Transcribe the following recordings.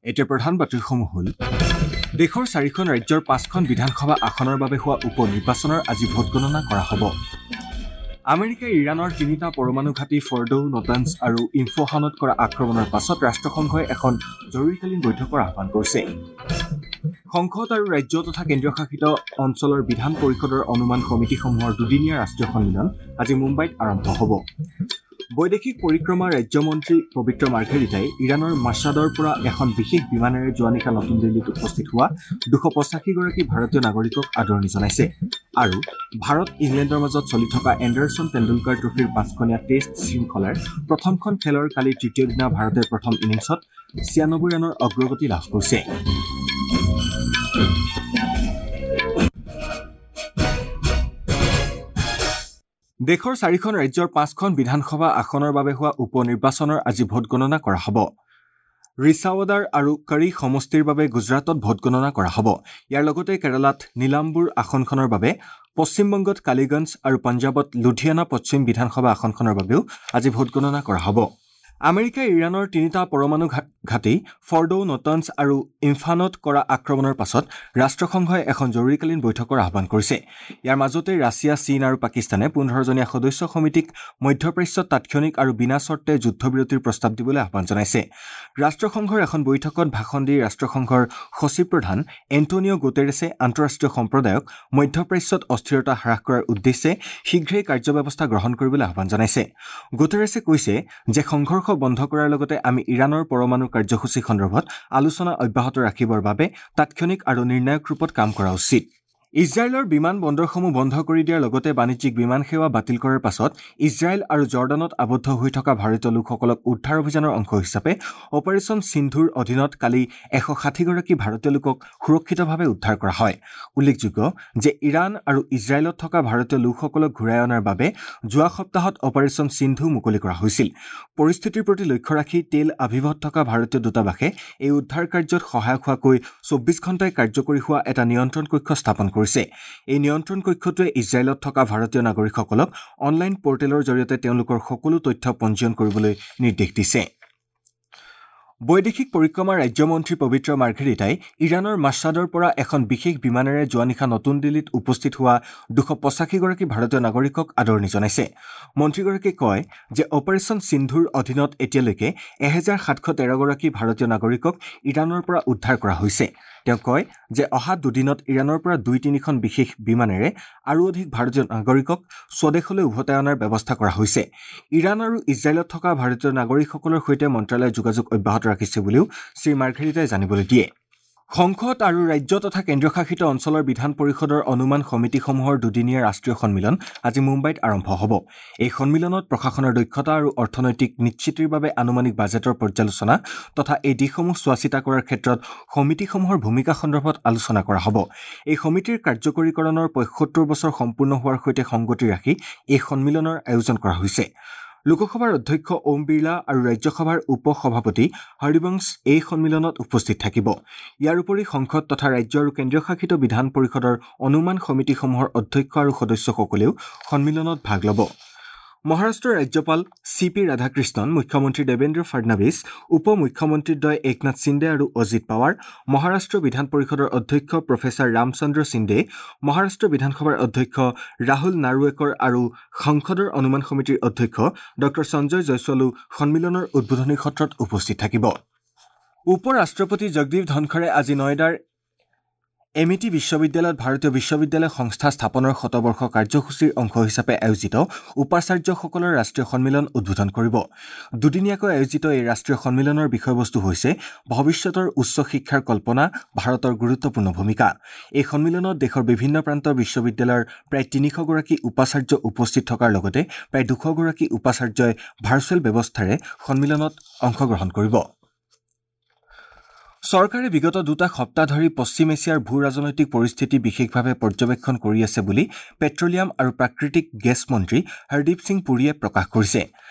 এতিয়া প্ৰধান বাতৰিসমূহ হ'ল: দেশৰ 4খন ৰাজ্যৰ 5খন বিধানসভা আসনৰ বাবে হোৱা উপ নিৰ্বাচনৰ আজি ভোটগণনা কৰা হ'ব। আমেৰিকাই ইৰাণৰ 3টা পৰমাণু ঘাটি ফৰ্ডো, নটান্স আৰু ইনফোহানত কৰা আক্ৰমণৰ পাছত ৰাষ্ট্ৰসংঘই এখন জৰুৰীকালীন বৈঠকৰ আহ্বান কৰিছে। সংসদ আৰু ৰাজ্য তথা কেন্দ্ৰীয়শাসিত অঞ্চলৰ বিধান পৰিষদৰ অনুমান সমিতিসমূহৰ দুদিনীয়া ৰাষ্ট্ৰীয় সন্মিলন আজি মুম্বাইত আৰম্ভ হ'ব। বৈদেশিক পৰিক্ৰমা ৰাজ্যমন্ত্ৰী পবিত্ৰ মাৰ্ঘেৰিটাই ইৰাণৰ মাছাদৰ পৰা এখন বিশেষ বিমানেৰে যোৱা নিশা নতুন দিল্লীত উপস্থিত হোৱা 285গৰাকী ভাৰতীয় নাগৰিকক আদৰণি জনাইছে। আৰু ভাৰত ইংলেণ্ডৰ মাজত চলি থকা এণ্ডাৰছন টেণ্ডুলকাৰ ট্ৰফীৰ 5খনীয়া টেষ্ট শৃংখলাৰ প্ৰথমখন খেলৰ কালি তৃতীয় দিনা ভাৰতে প্ৰথম ইনিংছত 96 ৰানৰ অগ্ৰগতি লাভ কৰিছে। দেশৰ 4খন ৰাজ্যৰ 5খন বিধানসভা আসনৰ বাবে হোৱা উপ নিৰ্বাচনৰ আজি ভোটগণনা কৰা হ'ব। ৰিছাৱদাৰ আৰু কাৰী সমষ্টিৰ বাবে গুজৰাটত ভোটগণনা কৰা হ'ব। ইয়াৰ লগতে কেৰালাত নীলাম্বুৰ আসনখনৰ বাবে, পশ্চিমবংগত কালিগঞ্জ আৰু পঞ্জাৱত লুধিয়ানা পশ্চিম বিধানসভা আসনখনৰ বাবেও আজি ভোটগণনা কৰা হ'ব। আমেৰিকাই ইৰাণৰ 3টা পৰমাণু ঘাটি ফৰ্ডো, নটান্স আৰু ইমফানত কৰা আক্ৰমণৰ পাছত ৰাষ্ট্ৰসংঘই এখন জৰুৰীকালীন বৈঠকৰ আহ্বান কৰিছে। ইয়াৰ মাজতে ৰাছিয়া, চীন আৰু পাকিস্তানে 15জনীয়া সদস্য সমিতিক মধ্যপ্ৰাচ্যত তাৎক্ষণিক আৰু বিনা চৰ্তে যুদ্ধবিৰতিৰ প্ৰস্তাৱ দিবলৈ আহ্বান জনাইছে। ৰাষ্ট্ৰসংঘৰ এখন বৈঠকত ভাষণ দি ৰাষ্ট্ৰসংঘৰ সচিব প্ৰধান এণ্টনিঅ' গুটেৰেছে আন্তঃৰাষ্ট্ৰীয় সম্প্ৰদায়ক মধ্যপ্ৰাচ্যত অস্থিৰতা হ্ৰাস কৰাৰ উদ্দেশ্যে শীঘ্ৰেই কাৰ্যব্যৱস্থা গ্ৰহণ কৰিবলৈ আহ্বান জনাইছে। গুটেৰেছে কৈছে যে সংঘৰ্ষ বন্ধ কৰাৰ লগতে আমি ইৰাণৰ পৰমাণু কাৰ্যসূচী সন্দৰ্ভত আলোচনা অব্যাহত ৰাখিবৰ বাবে তাৎক্ষণিক আৰু নিৰ্ণায়ক ৰূপত কাম কৰা উচিত। ইজৰাইলৰ বিমান বন্দৰসমূহ বন্ধ কৰি দিয়াৰ লগতে বাণিজ্যিক বিমান সেৱা বাতিল কৰাৰ পাছত ইজৰাইল আৰু জৰ্ডানত আবদ্ধ হৈ থকা ভাৰতীয় লোকসকলক উদ্ধাৰ অভিযানৰ অংশ হিচাপে অপাৰেশ্যন সিন্ধুৰ অধীনত কালি 160গৰাকী ভাৰতীয় লোকক সুৰক্ষিতভাৱে উদ্ধাৰ কৰা হয়। উল্লেখযোগ্য যে ইৰাণ আৰু ইজৰাইলত থকা ভাৰতীয় লোকসকলক ঘূৰাই অনাৰ বাবে যোৱা সপ্তাহত অপাৰেশ্যন সিন্ধু মুকলি কৰা হৈছিল। পৰিস্থিতিৰ প্ৰতি লক্ষ্য ৰাখি তেল আভিভত থকা ভাৰতীয় দূতাবাসে এই উদ্ধাৰ কাৰ্যত সহায়ক হোৱাকৈ 24 ঘণ্টাই কাৰ্যকৰী হোৱা এটা নিয়ন্ত্ৰণ কক্ষ স্থাপন কৰিছে। এই নিয়ন্ত্ৰণ কক্ষটোৱে ইজৰাইলত থকা ভাৰতীয় নাগৰিকসকলক অনলাইন পৰ্টেলৰ জৰিয়তে তেওঁলোকৰ সকলো তথ্য পঞ্জীয়ন কৰিবলৈ নিৰ্দেশ দিছে। বৈদেশিক পৰিক্ৰমা ৰাজ্যমন্ত্ৰী পবিত্ৰ মাৰ্ঘেৰিটাই ইৰাণৰ মাছাদৰ পৰা এখন বিশেষ বিমানেৰে যোৱা নিশা নতুন দিল্লীত উপস্থিত হোৱা 285গৰাকী ভাৰতীয় নাগৰিকক আদৰণি জনাইছে। মন্ত্ৰীগৰাকীয়ে কয় যে অপাৰেশ্যন সিন্ধুৰ অধীনত এতিয়ালৈকে 1713গৰাকী ভাৰতীয় নাগৰিকক ইৰাণৰ পৰা উদ্ধাৰ কৰা হৈছে। তেওঁ কয় যে অহা দুদিনত ইৰাণৰ পৰা 2-3খন বিশেষ বিমানেৰে আৰু অধিক ভাৰতীয় নাগৰিকক স্বদেশলৈ উভতাই অনাৰ ব্যৱস্থা কৰা হৈছে। ইৰাণ আৰু ইজৰাইলত থকা ভাৰতীয় নাগৰিকসকলৰ সৈতে মন্ত্ৰালয়ে যোগাযোগ অব্যাহত ৰাখিছে বুলিও শ্ৰী মাৰ্ঘেৰিটাই জানিবলৈ দিয়ে। সংসদ আৰু ৰাজ্য তথা কেন্দ্ৰীয়শাসিত অঞ্চলৰ বিধান পৰিষদৰ অনুমান সমিতিসমূহৰ দুদিনীয়া ৰাষ্ট্ৰীয় সন্মিলন আজি মুম্বাইত আৰম্ভ হ'ব। এই সন্মিলনত প্ৰশাসনৰ দক্ষতা আৰু অৰ্থনৈতিক নিশ্চিতিৰ বাবে আনুমানিক বাজেটৰ পৰ্যালোচনা তথা এই দিশসমূহ চোৱাচিতা কৰাৰ ক্ষেত্ৰত সমিতিসমূহৰ ভূমিকা সন্দৰ্ভত আলোচনা কৰা হ'ব। এই সমিতিৰ কাৰ্যকৰীকৰণৰ 75 বছৰ সম্পূৰ্ণ হোৱাৰ সৈতে সংগতি ৰাখি এই সন্মিলনৰ আয়োজন কৰা হৈছে। লোকসভাৰ অধ্যক্ষ ওম বিৰলা আৰু ৰাজ্যসভাৰ উপ সভাপতি হৰিবংশ এই সন্মিলনত উপস্থিত থাকিব। ইয়াৰ উপৰি সংসদ তথা ৰাজ্য আৰু কেন্দ্ৰীয়শাসিত বিধান পৰিষদৰ অনুমান সমিতিসমূহৰ অধ্যক্ষ আৰু সদস্যসকলেও সন্মিলনত ভাগ ল'ব। মহাৰাষ্ট্ৰৰ ৰাজ্যপাল চি পি ৰাধাকৃষ্ণন, মুখ্যমন্ত্ৰী দেৱেন্দ্ৰ ফাডনাভিছ, উপ মুখ্যমন্ত্ৰীদ্বয় একনাথ সিন্দে আৰু অজিত পাৱাৰ, মহাৰাষ্ট্ৰ বিধান পৰিষদৰ অধ্যক্ষ প্ৰফেচাৰ ৰামচন্দ্ৰ সিন্দে, মহাৰাষ্ট্ৰ বিধানসভাৰ অধ্যক্ষ ৰাহুল নাৰুৱেকৰ আৰু সংসদৰ অনুমান সমিতিৰ অধ্যক্ষ ডঃ সঞ্জয় জয়ছৱালো সন্মিলনৰ উদ্বোধনী সত্ৰত উপস্থিত থাকিব। উপ ৰাষ্ট্ৰপতি জগদীপ ধনখৰে আজি নয়ডাৰ এমিটি বিশ্ববিদ্যালয়ত ভাৰতীয় বিশ্ববিদ্যালয় সংস্থা স্থাপনৰ শতবৰ্ষ কাৰ্যসূচীৰ অংশ হিচাপে আয়োজিত উপাচাৰ্যসকলৰ ৰাষ্ট্ৰীয় সন্মিলন উদ্বোধন কৰিব। দুদিনীয়াকৈ আয়োজিত এই ৰাষ্ট্ৰীয় সন্মিলনৰ বিষয়বস্তু হৈছে ভৱিষ্যতৰ উচ্চ শিক্ষাৰ কল্পনা, ভাৰতৰ গুৰুত্বপূৰ্ণ ভূমিকা। এই সন্মিলনত দেশৰ বিভিন্ন প্ৰান্তৰ বিশ্ববিদ্যালয়ৰ প্ৰায় 300গৰাকী উপাচাৰ্য উপস্থিত থকাৰ লগতে প্ৰায় 200গৰাকী উপাচাৰ্যই ভাৰ্চুৱেল ব্যৱস্থাৰে সন্মিলনত অংশগ্ৰহণ কৰিব। চৰকাৰে বিগত 2টা সপ্তাহ ধৰি পশ্চিম এছিয়াৰ ভূ ৰাজনৈতিক পৰিস্থিতি বিশেষভাৱে পৰ্যবেক্ষণ কৰি আছে বুলি পেট্ৰলিয়াম আৰু প্ৰাকৃতিক গেছ মন্ত্ৰী হৰদীপ সিং পুৰীয়ে প্ৰকাশ কৰিছে।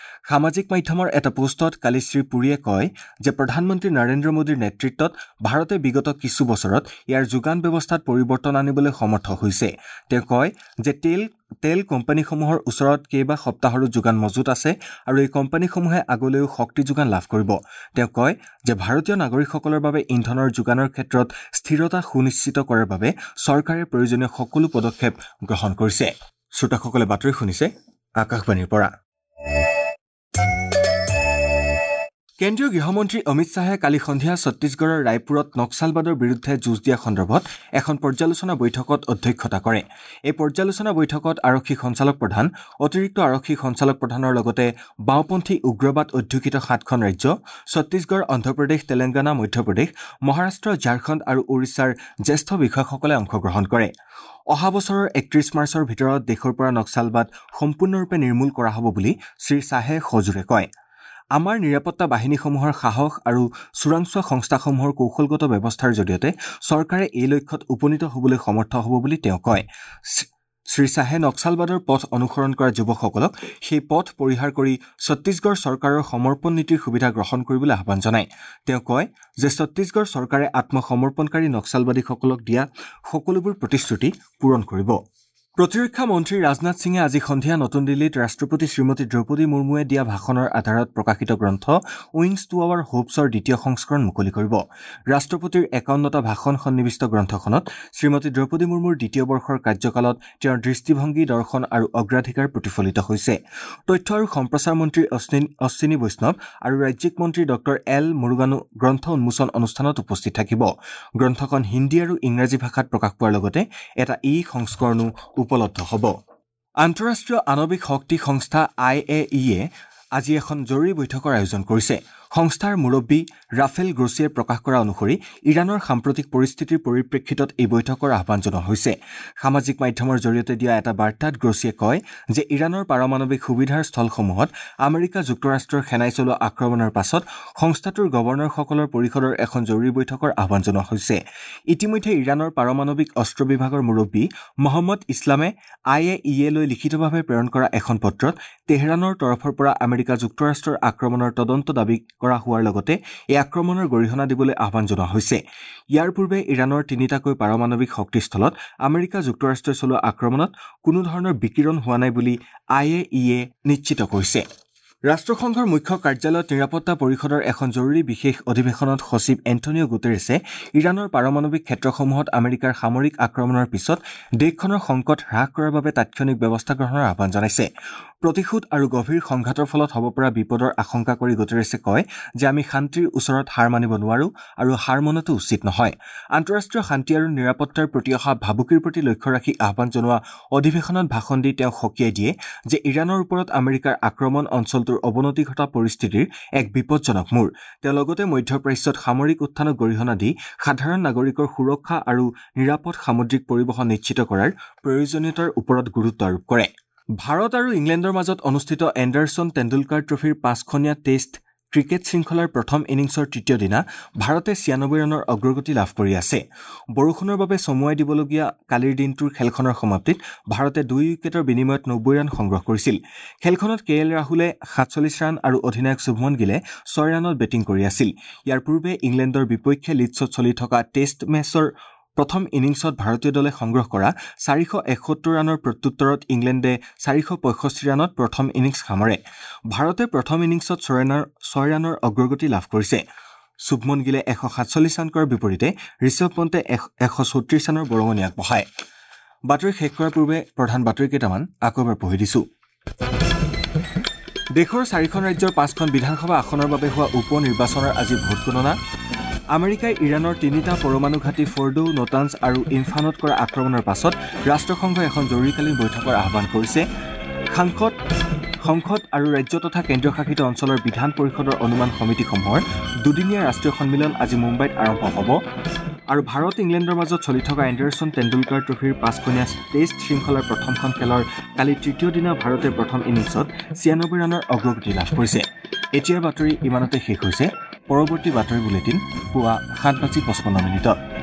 সামাজিক মাধ্যমৰ এটা পোষ্টত কালি শ্ৰী পুৰীয়ে কয় যে প্ৰধানমন্ত্ৰী নৰেন্দ্ৰ মোদীৰ নেতৃত্বত ভাৰতে বিগত কিছু বছৰত ইয়াৰ যোগান ব্যৱস্থাত পৰিৱৰ্তন আনিবলৈ সমৰ্থ হৈছে। তেওঁ কয় যে তেল তেল কোম্পানীসমূহৰ ওচৰত কেইবা সপ্তাহৰো যোগান মজুত আছে আৰু এই কোম্পানীসমূহে আগলৈও শক্তি যোগান লাভ কৰিব। তেওঁ কয় যে ভাৰতীয় নাগৰিকসকলৰ বাবে ইন্ধনৰ যোগানৰ ক্ষেত্ৰত স্থিৰতা সুনিশ্চিত কৰাৰ বাবে চৰকাৰে প্ৰয়োজনীয় সকলো পদক্ষেপ গ্ৰহণ কৰিছে। শ্ৰোতাসকলে বাতৰি শুনিছে আকাশবাণীৰ পৰা। কেন্দ্ৰীয় গৃহমন্ত্ৰী অমিত শ্বাহে কালি সন্ধিয়া ছত্তীশগড়ৰ ৰায়পুৰত নক্সালবাদৰ বিৰুদ্ধে যুঁজ দিয়া সন্দৰ্ভত এখন পৰ্যালোচনা বৈঠকত অধ্যক্ষতা কৰে। এই পৰ্যালোচনা বৈঠকত আৰক্ষী সঞ্চালক প্ৰধান, অতিৰিক্ত আৰক্ষী সঞ্চালক প্ৰধানৰ লগতে বাওঁপন্থী উগ্ৰবাদ অধ্যুষিত 7খন ৰাজ্য ছত্তীশগড়, অন্ধ্ৰপ্ৰদেশ, তেলেংগানা, মধ্যপ্ৰদেশ, মহাৰাষ্ট্ৰ, ঝাৰখণ্ড আৰু ওড়িশাৰ জ্যেষ্ঠ বিষয়াসকলে অংশগ্ৰহণ কৰে। অহা বছৰৰ 31 মাৰ্চৰ ভিতৰত দেশৰ পৰা নক্সালবাদ সম্পূৰ্ণৰূপে নিৰ্মূল কৰা হ'ব বুলি শ্ৰী শ্বাহে সজোৰে কয়। আমাৰ নিৰাপত্তা বাহিনীসমূহৰ সাহস আৰু চোৰাংচোৱা সংস্থাসমূহৰ কৌশলগত ব্যৱস্থাৰ জৰিয়তে চৰকাৰে এই লক্ষ্যত উপনীত হ'বলৈ সমৰ্থ হ'ব বুলি তেওঁ কয়। শ্ৰী শ্বাহে নক্সালবাদৰ পথ অনুসৰণ কৰা যুৱকসকলক সেই পথ পৰিহাৰ কৰি ছত্তীশগড় চৰকাৰৰ সমৰ্পণ নীতিৰ সুবিধা গ্ৰহণ কৰিবলৈ আহ্বান জনায়। তেওঁ কয় যে ছত্তীশগড় চৰকাৰে আত্মসমৰ্পণকাৰী নক্সালবাদীসকলক দিয়া সকলোবোৰ প্ৰতিশ্ৰুতি পূৰণ কৰিব। প্ৰতিৰক্ষা মন্ত্ৰী ৰাজনাথ সিঙে আজি সন্ধিয়া নতুন দিল্লীত ৰাষ্ট্ৰপতি শ্ৰীমতী দ্ৰৌপদী মুৰ্মুৱে দিয়া ভাষণৰ আধাৰত প্ৰকাশিত গ্ৰন্থ উইংছ টু আৱাৰ হোপছৰ দ্বিতীয় সংস্কৰণ মুকলি কৰিব। ৰাষ্ট্ৰপতিৰ 51টা ভাষণ সন্নিৱিষ্ট গ্ৰন্থখনত শ্ৰীমতী দ্ৰৌপদী মুৰ্মুৰ দ্বিতীয় বৰ্ষৰ কাৰ্যকালত তেওঁৰ দৃষ্টিভংগী, দৰ্শন আৰু অগ্ৰাধিকাৰ প্ৰতিফলিত হৈছে। তথ্য আৰু সম্প্ৰচাৰ মন্ত্ৰী অশ্বিনী বৈষ্ণৱ আৰু ৰাজ্যিক মন্ত্ৰী ডঃ এল মুৰুগানো গ্ৰন্থ উন্মোচন অনুষ্ঠানত উপস্থিত থাকিব। গ্ৰন্থখন হিন্দী আৰু ইংৰাজী ভাষাত প্ৰকাশ পোৱাৰ লগতে এটা ই সংস্কৰণো উপলব্ধ হ'ব। আন্তঃৰাষ্ট্ৰীয় আণৱিক শক্তি সংস্থা IAEA আজি এখন জৰুৰী বৈঠকৰ আয়োজন কৰিছে। সংস্থাৰ মুৰব্বী ৰাফেল গ্ৰ'ছিয়ে প্ৰকাশ কৰা অনুসৰি ইৰাণৰ সাম্প্ৰতিক পৰিস্থিতিৰ পৰিপ্ৰেক্ষিতত এই বৈঠকৰ আহ্বান জনোৱা হৈছে। সামাজিক মাধ্যমৰ জৰিয়তে দিয়া এটা বাৰ্তাত গ্ৰ'ছিয়ে কয় যে ইৰাণৰ পাৰমাণৱিক সুবিধাৰ স্থলসমূহত আমেৰিকা যুক্তৰাষ্ট্ৰৰ সেনাই চলোৱা আক্ৰমণৰ পাছত সংস্থাটোৰ গৱৰ্ণৰসকলৰ পৰিষদৰ এখন জৰুৰী বৈঠকৰ আহ্বান জনোৱা হৈছে। ইতিমধ্যে ইৰাণৰ পাৰমাণৱিক অস্ত্ৰ বিভাগৰ মুৰব্বী মহম্মদ ইছলামে IAEA-লৈ লিখিতভাৱে প্ৰেৰণ কৰা এখন পত্ৰত তেহৰাণৰ তৰফৰ পৰা আমেৰিকা যুক্তৰাষ্ট্ৰৰ আক্ৰমণৰ তদন্ত দাবী কৰা হোৱাৰ লগতে এই আক্ৰমণৰ গৰিহণা দিবলৈ আহ্বান জনোৱা হৈছে। ইয়াৰ পূৰ্বে ইৰাণৰ 3টাকৈ পাৰমাণৱিক শক্তিস্থলত আমেৰিকা যুক্তৰাষ্ট্ৰই চলোৱা আক্ৰমণত কোনো ধৰণৰ বিকিৰণ হোৱা নাই বুলি IAEA নিশ্চিত কৰিছে। ৰাষ্ট্ৰসংঘৰ মুখ্য কাৰ্যালয়ত নিৰাপত্তা পৰিষদৰ এখন জৰুৰী বিশেষ অধিৱেশনত সচিব এণ্টনিঅ' গুটেৰেছে ইৰাণৰ পাৰমাণৱিক ক্ষেত্ৰসমূহত আমেৰিকাৰ সামৰিক আক্ৰমণৰ পিছত দেশখনৰ সংকট হ্ৰাস কৰাৰ বাবে তাৎক্ষণিক ব্যৱস্থা গ্ৰহণৰ আহ্বান জনাইছে। প্ৰতিশোধ আৰু গভীৰ সংঘাতৰ ফলত হ'ব পৰা বিপদৰ আশংকা কৰি গুটেৰেছে কয় যে আমি শান্তিৰ ওচৰত হাৰ মানিব নোৱাৰো আৰু হাৰ মনাটো উচিত নহয়। আন্তঃৰাষ্ট্ৰীয় শান্তি আৰু নিৰাপত্তাৰ প্ৰতি অহা ভাবুকিৰ প্ৰতি লক্ষ্য ৰাখি আহ্বান জনোৱা অধিৱেশনত ভাষণ দি তেওঁ সকীয়াই দিয়ে যে ইৰাণৰ ওপৰত আমেৰিকাৰ আক্ৰমণ অঞ্চলটোৰ অৱনতি ঘটা পৰিস্থিতিৰ এক বিপজ্জনক মূৰ। তেওঁ লগতে মধ্যপ্ৰাচ্যত সামৰিক উত্থানক গৰিহণা দি সাধাৰণ নাগৰিকৰ সুৰক্ষা আৰু নিৰাপদ সামুদ্ৰিক পৰিবহণ নিশ্চিত কৰাৰ প্ৰয়োজনীয়তাৰ ওপৰত গুৰুত্ব আৰোপ কৰে। ভাৰত আৰু ইংলেণ্ডৰ মাজত অনুষ্ঠিত এণ্ডাৰছন টেণ্ডুলকাৰ ট্ৰফীৰ 5খনীয়া টেষ্ট ক্ৰিকেট শৃংখলাৰ প্ৰথম ইনিংছৰ তৃতীয় দিনা ভাৰতে 96 ৰানৰ অগ্ৰগতি লাভ কৰি আছে। বৰষুণৰ বাবে চমুৱাই দিবলগীয়া কালিৰ দিনটোৰ খেলখনৰ সমাপ্তিত ভাৰতে 2 উইকেটৰ বিনিময়ত 90 ৰান সংগ্ৰহ কৰিছিল। খেলখনত কে এল ৰাহুলে 47 ৰান আৰু অধিনায়ক শুভমন গিলে 6 ৰানত বেটিং কৰি আছিল। ইয়াৰ পূৰ্বে ইংলেণ্ডৰ বিপক্ষে লিডছত চলি থকা টেষ্ট মেচৰ প্ৰথম ইনিংছত ভাৰতীয় দলে সংগ্ৰহ কৰা 471 ৰানৰ প্ৰত্যুত্তৰত ইংলেণ্ডে 465 ৰানত প্ৰথম ইনিংছ সামৰে। ভাৰতে প্ৰথম ইনিংছত 6 ৰানৰ অগ্ৰগতি লাভ কৰিছে। শুভমন গিলে 147 ৰান কৰাৰ বিপৰীতে ঋষভ পন্তে 136 ৰানৰ বৰঙণি আগবঢ়ায়। বাতৰি শেষ কৰাৰ পূৰ্বে প্ৰধান বাতৰি কেইটামান আকৌ এবাৰ পঢ়ি দিছোঁ। দেশৰ 4খন ৰাজ্যৰ 5খন বিধানসভা আসনৰ বাবে হোৱা উপ নিৰ্বাচনৰ আজি ভোটগণনা। আমেৰিকাই ইৰাণৰ 3টা পৰমাণু ঘাটি ফৰ্ডো, নটান্স আৰু ইমফানত কৰা আক্ৰমণৰ পাছত ৰাষ্ট্ৰসংঘই এখন জৰুৰীকালীন বৈঠকৰ আহ্বান কৰিছে। সংসদ আৰু ৰাজ্য তথা কেন্দ্ৰীয় শাসিত অঞ্চলৰ বিধান পৰিষদৰ অনুমান সমিতিসমূহৰ দুদিনীয়া ৰাষ্ট্ৰীয় সন্মিলন আজি মুম্বাইত আৰম্ভ হ'ব। আৰু ভাৰত ইংলেণ্ডৰ মাজত চলি থকা এণ্ডাৰছন টেণ্ডুলকাৰ ট্ৰফীৰ 5খনীয়া টেষ্ট শৃংখলাৰ প্ৰথমখন খেলৰ কালি তৃতীয় দিনা ভাৰতে প্ৰথম ইনিংছত 96 ৰানৰ অগ্ৰগতি লাভ কৰিছে। এতিয়াৰ বাতৰি ইমানতে শেষ হৈছে। পৰৱৰ্তী বাতৰি বুলেটিন পুৱা 7:55।